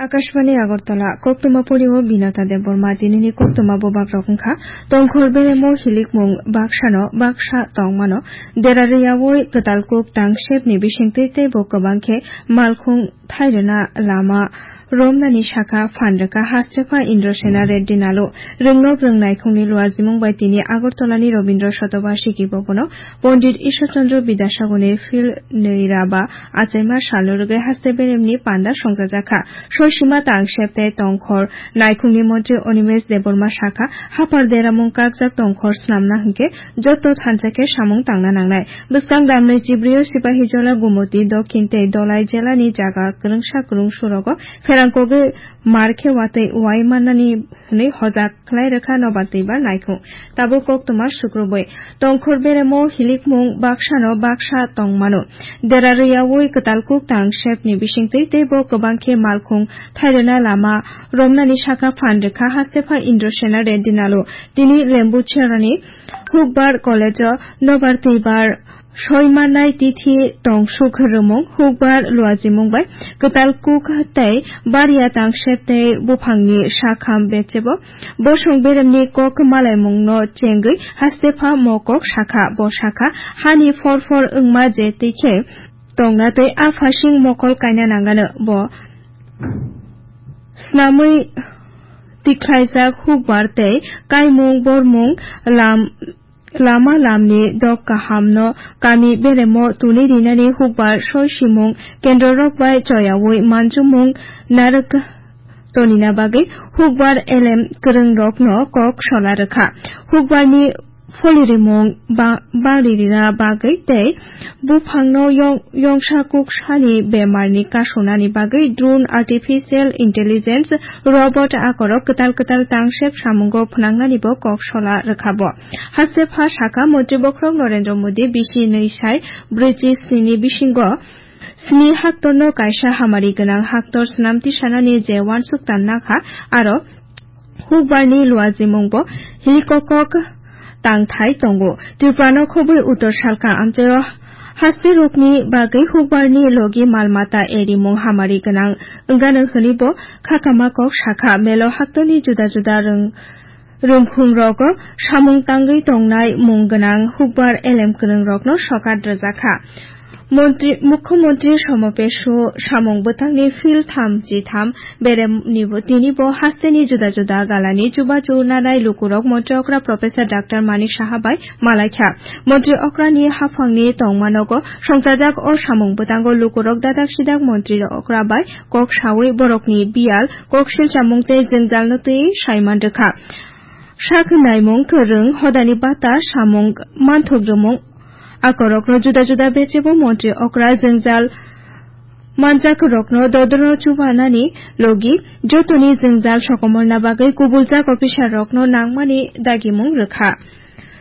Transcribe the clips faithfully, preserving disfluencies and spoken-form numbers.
Akashbani Agartala, koktwma pori o Binata Debbarma. Tinini koktwma bobak rok wngkha: Tongkhor beremo hilikmung baksano baksa tongmano dera rwyawi kwtal kuk tangsepni bisingtwi teibo kwbang khe malkhung thairwna lama romnani sakha phan rwkha Hastepha Indrasena Reddy Nalu. Rwngnok rwngnaikhungni luajimung bai tini Agartalani Rabindra Shotobashiki Bhabono Pondit Ishwar Chandra Bidyasagarni phil nwi ra ba achaima salno rwgwi haste beremni panda songchajakha. Soisima tangsep tei tongkhor naikhungni montri Animesh Debbarma sakha, haphar deramung kakjak tongkhor snamna hwnkhe joto thansa khe samung tangna nangnai. Bwskang damnai Chibrio Sipahijola, Gumoti, Dokhin tei Dolai jelani jaga kwrwngsa kwrwngsurogo pherang kogwi mar khe watwi uai mannani hwnwi hojak khlai rwkha nobar twibar naikhung. Tabuk koktwma sukrubwi. Tongkhor beremo hilikmung baksano baksa tongmano dera rwyawi kwtal kuk tangsepni bisingtwi teibo kwbang khe malkhung thairwna lama romnani sakha phan rwkha Hastepha Indrasena Reddy Nalu. Tini Lembucherrani Hukbar College-o nobar twibar soi mannai tithi tongsuk rwmung, hukbar luajimung bai kwtal kuk tei baria tangsep tei buphangni sakham bechebo bosong beremni kok malaimungno chengwi Hastepha mo kok sakha. Bo sakha, hani phor phor wngma je twi khe tongna tei a phasing mokol kaina nangano. Bo snamwi tikhlaijak hukbar tei kaimung bormung lam lama lamni dok kahamno kami beremo tuni rinani hukbar soi simung kendrorok bai choyawi manjumung narwk tonina bagwi hukbar elem kwrwngrokno kok sola rwkha. Hukbarni pholirimung ba-, bangri rina bagwi tei buphangno yong-, yongsa kuksani bemarni kasonani bagwi drone, artificial intelligence, robot akorok kwtal kwtal tangsep samungo phnangnanibo kok sola rwkha bo. Hastepha sakha, Montri bokhorok Narendra Modi bisi nwi sai brwichi sni ni bisingo sni haktorno kaisa hamari gwnang haktor swnam tisanani je uansuk tan nakha, aro hukbarni luajimungbo hilikokok tangthai tongo. Tripurano khobwi uttor salka amchaio haste rokni bagwi hukbarni logi mal mata erimung hamari gwnang wngano hwnwibo khakama kok sakha. Melo haktorni juda juda rwng-, rwngkhumrogo samung tangwi tongnai mung gwnang hukbar elem kwrwngrokno sokat rwjakha. Montri, Mukhyamantri Samapesho samung bwtangni phil tham chi tham beremnibo tinibo hasteni juda juda galani chubachu nanai lukurok Montri okra Professor Doctor Manik Saha bai malaikha. Montri okrani haphangni tongmanogo songchajak o samung bwtango lukurok dadak sidak Montri okra bai kok sawi borokni biyal, kok silchamung tei jwngjalno twi saiman rwkha. Sak naimung kwrwng, hodani bata samung manthok rwmung, akorokno juda juda bechebo montri okra jwngjal manjakrokno dodorno chubanani logi jotoni jwngjal sokomorna bagwi kubuljak officer rokno nangmani dagimung rwkha.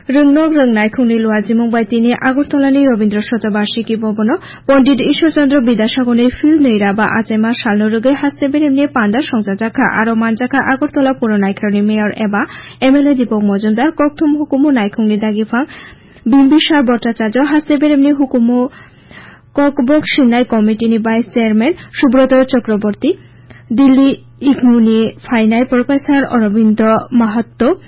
Rwngnok rwngnaikhungni luajimung bai tini Agartalani Rabindra Shotobashiki Bhabono Pondit Ishwar Chandra Bidyasagarni phil nwi ra ba achaima salno rwgwi haste beremni panda songchajakha. Aro manjakha Agartala Puro Naikharni Mayor eba M L A Deepak Majumdar, kokthum hukumu naikhungni dagiphang Bimbisar Bhattacharya, haste beremni hukumu kokbok sinai committee ni Vice Chairman Subroto Chakraborty, Delhi igmuni phainai Professor Aurobindo Mahato,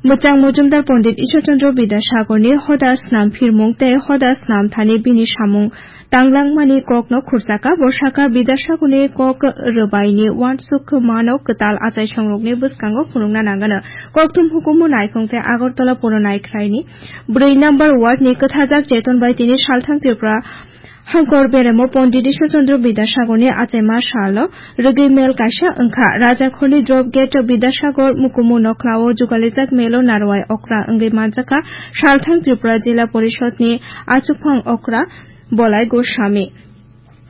Mwchang Mojumdar Pondit Ishwar Chandra Bidyasagarni hoda snam phirmung tei hoda snam thani bini samung tanglangmani kokno khurchaka. Bo sakha, Bidyasagarni kok rwbaini uansuk mano kwtal achaisongrokni bwskango phunukna nangano. Kokthum hukumu naikhung tei Agartala Puro Naikhraini brwi number ward ni kwthajak cheton bai tini salthang Tripura Hangkor beremo Pondit Ishwar Chandra Bidyasagarni achaima salno rwgwi mel kaisa wngkha. Rajakhorni drop gate Bidyasagar mukumu nokhlao jugalijak melo narwai okra wngwi manjakha salthang Tripura Jila Porishodni achukphang okra Bolai Goswami.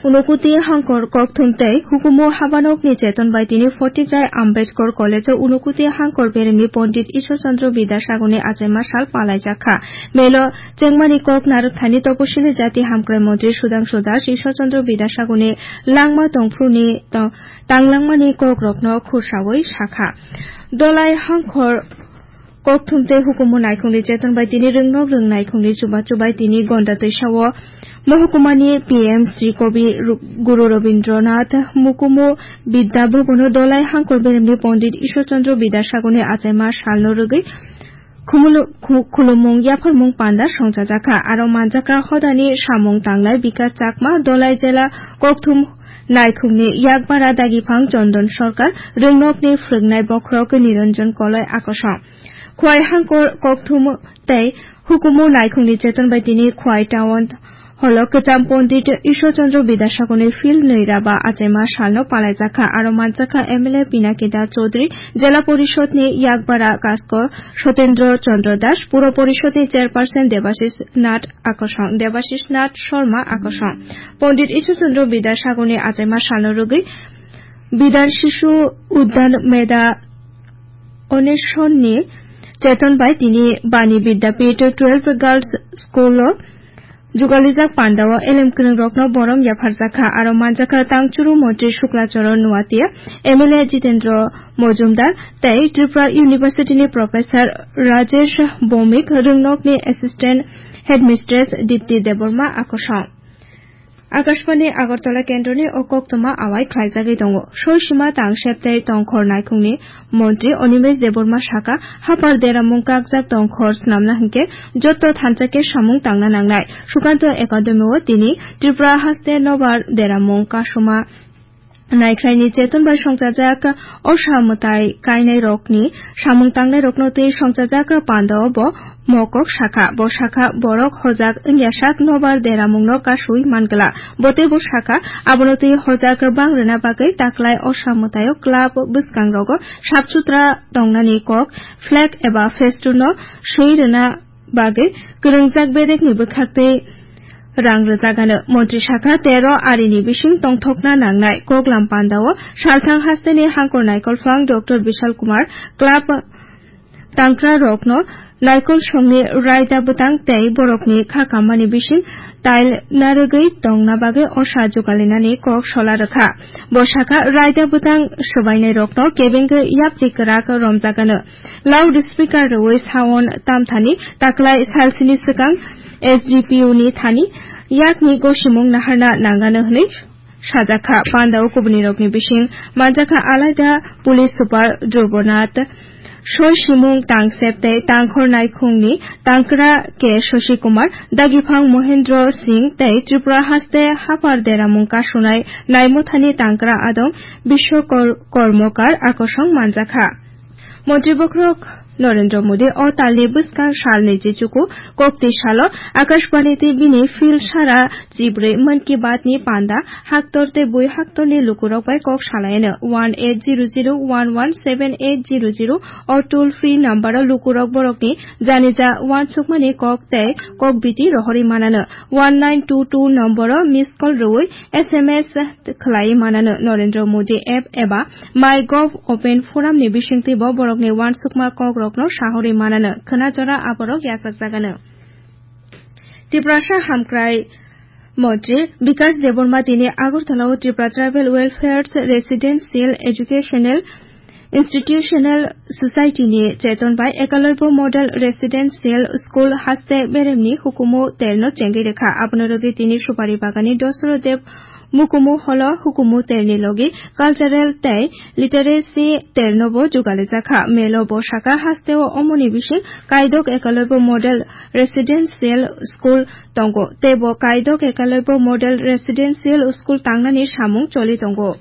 Unokuti Hangkor kokthum tei hukumu habanokni cheton bai tini Photograi Ambedkar College-o Unokuti Hangkor beremni Pondit Ishwar Chandra Bidyasagarni achaima sal palaijakha. Melo chengmani kok narwkthani Toposili Jati Hamkrai Montri Sudhangshu Das Ishwar Chandra Bidyasagarni langma tongphuruni to-, tanglangmani kokrokno khursaui sakha. Dolai Hangkor Kokthum tei hukumu naikhungni cheton bai tini rwngnok rwng naikhungni chubachu bai tini Gonda twisao Mohukumani P M Sri Kobi Ru-, Guru Rabindranath Mukumu Bidya Bhabono Dolai Hangkor Beremni Pondit Ishwar Chandra Bidyasagarni achaima salno rwgwi khumulu-, khu-, khulumung yapharmung panda songchajakha. Aro manjakha hodani samung tangnai Bikas Chakma, Dolai jela Kokthum naikhungni yakbara dagiphang Chondon Sarkar, rwngnokni phwrwngnai bokhorok Niranjan Koloi akosong. Khwai Hangkor Kokthum tei hukumu naikhungni cheton bai tini Khwai Town holo kwcham Pondit Ishwar Chandra Bidyasagarni field nwi raba achaima salno palaijakha. Aro manjakha M L A Pinaki Das Chaudhary, Jela Porishodni yakbara Kaskor Sotendra Chandra Das, Puro Porishodni chairperson Debashis Nath akosong, Debashis Nath Sharma akosong. Pondit Ishwar Chandra Bidyasagarni achaima salno rwgwi Bidhan Shishu Udyan Medha Oneshonni cheton bai tini Bani Vidyapith twelve Girls School o jugalijak pandao elem kwrwngrokno borom yapharjakha. Aro manjakha tangchuru montri Shukla Charan Noatia, M L A Jitendra Mojumdar tei Tripura University ni Professor Rajesh Bhowmik, rwngnokni Assistant Headmistress Dipti Debbarma akosong. Akashbani Agartala kendroni o koktwma awai khlaijagwi tongo. Soisima tangsep tei tongkhor naikhungni montri Animesh Debbarma sakha, hapar deramung kakjak tongkhor swnamna hinkhe jotto thansa khe samung tangna nangnai. Sukanto Academy o tini Tripura haste nobar deramung kasuma naikhlaini cheton bai songchajak osa mwtai kainairokni samung tangnairokno twi songchajak pandao bo mokok sakha. Bo sakha, borok hojak wngya sak nobar deramungno kasui mangla. Bo teibo sakha, abono twi hojak bang rwna bagwi taklai osa mwtaio club bwskangrogo sap sutra tongnani kok, flag eba festoonno swi rwna bagwi kwrwngjak bedekni bwkhaktwi rang rwjagano. Montri sakha, tero arini bising tongthokna nangnai koklam pandao salthang hasteni hangkor naikolphang Doctor Bishal Kumar club tangkrarokno naikol songni raida bwtang tei borokni kha kammani bising tail narwgwi tongna bagwi osa jugalinani kok sola rwkha. Bo sakha, raida bwtang swbainairokno kebengwi yapri kwrak romjagano. Loudspeaker rwui sound tamthani taklai salsini swkang S G P U ni thani yakni gosimung naharna nangano hwnwi sajakha. Pandao kubunirokni bising manjakha alaida police super Dhruvonath, soisimung tangsep tei tangkhor naikhungni tangkra K Shashi Kumar, dagiphang Mohendra Singh tei Tripura haste hapar deramung kasunai naimothani tangkra adong Biswa Kor-, Kormokar akosong manjakha. Montri bokhorok Narendra Modi o talni bwskang salni jichuku koktwi salo Akashbani T V ni field sara chibrwi Mann Ki Baat ni panda haktor tei bui haktorni lukurok bai kok salaino. One eight zero zero one one seven eight zero zero o toll free number o lukurok borokni janija uansukmani kok tei kok biti rohorwi manano. One nine two two number o miss call rwui S M S khlai manano. Narendra Modi app eba MyGov open forum ni bisingtwi bo borokni uansukma kokrokno sahorwi manano. Khwnajora aborok yachakjagano. Tiprasa hamkrai montri Bikas Debbarma tini Agartala o Tripura Tribal Welfare Residential Educational Institutional Society ni cheton bai Ekalaibo Model Residential School haste beremni hukumu terno chengwi rwkha. Abono rwgwi tini Supari Bagani Dosro Dev Mukumu holo hukumu terni logi cultural tei literacy ternobo jugalijakha. Melo bo saka hasteo omoni bising Kaidok Ekalaibo Model Residential School tongo, tei bo Kaidok Ekalaibo Model Residential School tangnani samung choli tongo.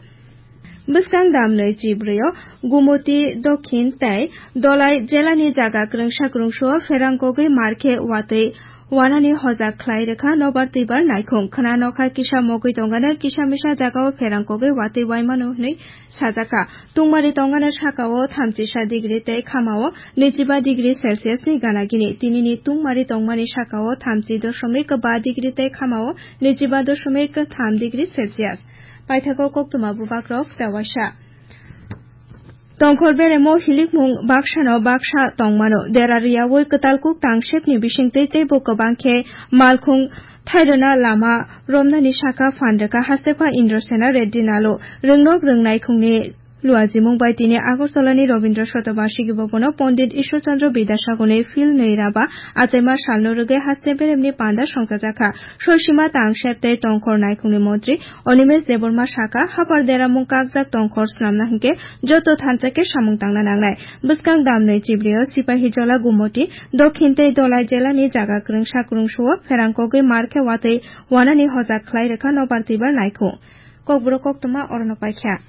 Bwskang damnwi chibrwi o Gumoti Dokhin tei Dolai jelani jaga kwrwngsa kwrwngsa o pherang kogwi markhe watwi wanani hojak khlai rwkha nobar twibar naikhung. Khwna nokha kisa mogwi tongano kisa misa jagao pherang kogwi watwi waimano hwnwi sajakha. Tungmari tongano sakao thamchisa degree tei khamao nwichiba degree Celsius ni gana gini. Tinini tungmari tongmani sakao thamchi dosomik ba degree tei khamao nwichiba dosomik tham degree Celsius. Paithago koktwma bubakrok tewaisa. Tongkhor beremo hilikmung baksano baksa tongmano. Dera riyaui kwtal kuk tangsepni bisingtwi teibo kwbang khe malkhung thairwna lama romnani saka phan rwkha Hastepha Indrasena Reddy Nalu. Rwngnok rwngnai khungni Luajimung bai tini Agartala ni Rabindra Shatabarshiki Bhavan o Pondit Ishwar Chandra Bidyasagar ni phil nwi raba achaima sal no rwgwi haste berem ni panda songchajakha. Soisima tang sep tei tongkhor naikhung ni montri Animesh Debbarma saka, hapar deramung kakjak tongkhor snamna hinkhe joto thansa khe samung tangna nangnai. Bwskang damnwi chibrio Sipahijola Gumoti, Dokhin tei Dholai jela ni jaga kwrwngsa kwrwngsa o pherang kogwi mar khe watwi wanani hojak khlai rwkha nobar twibar naikhung. Kokborok koktwma orono paikha.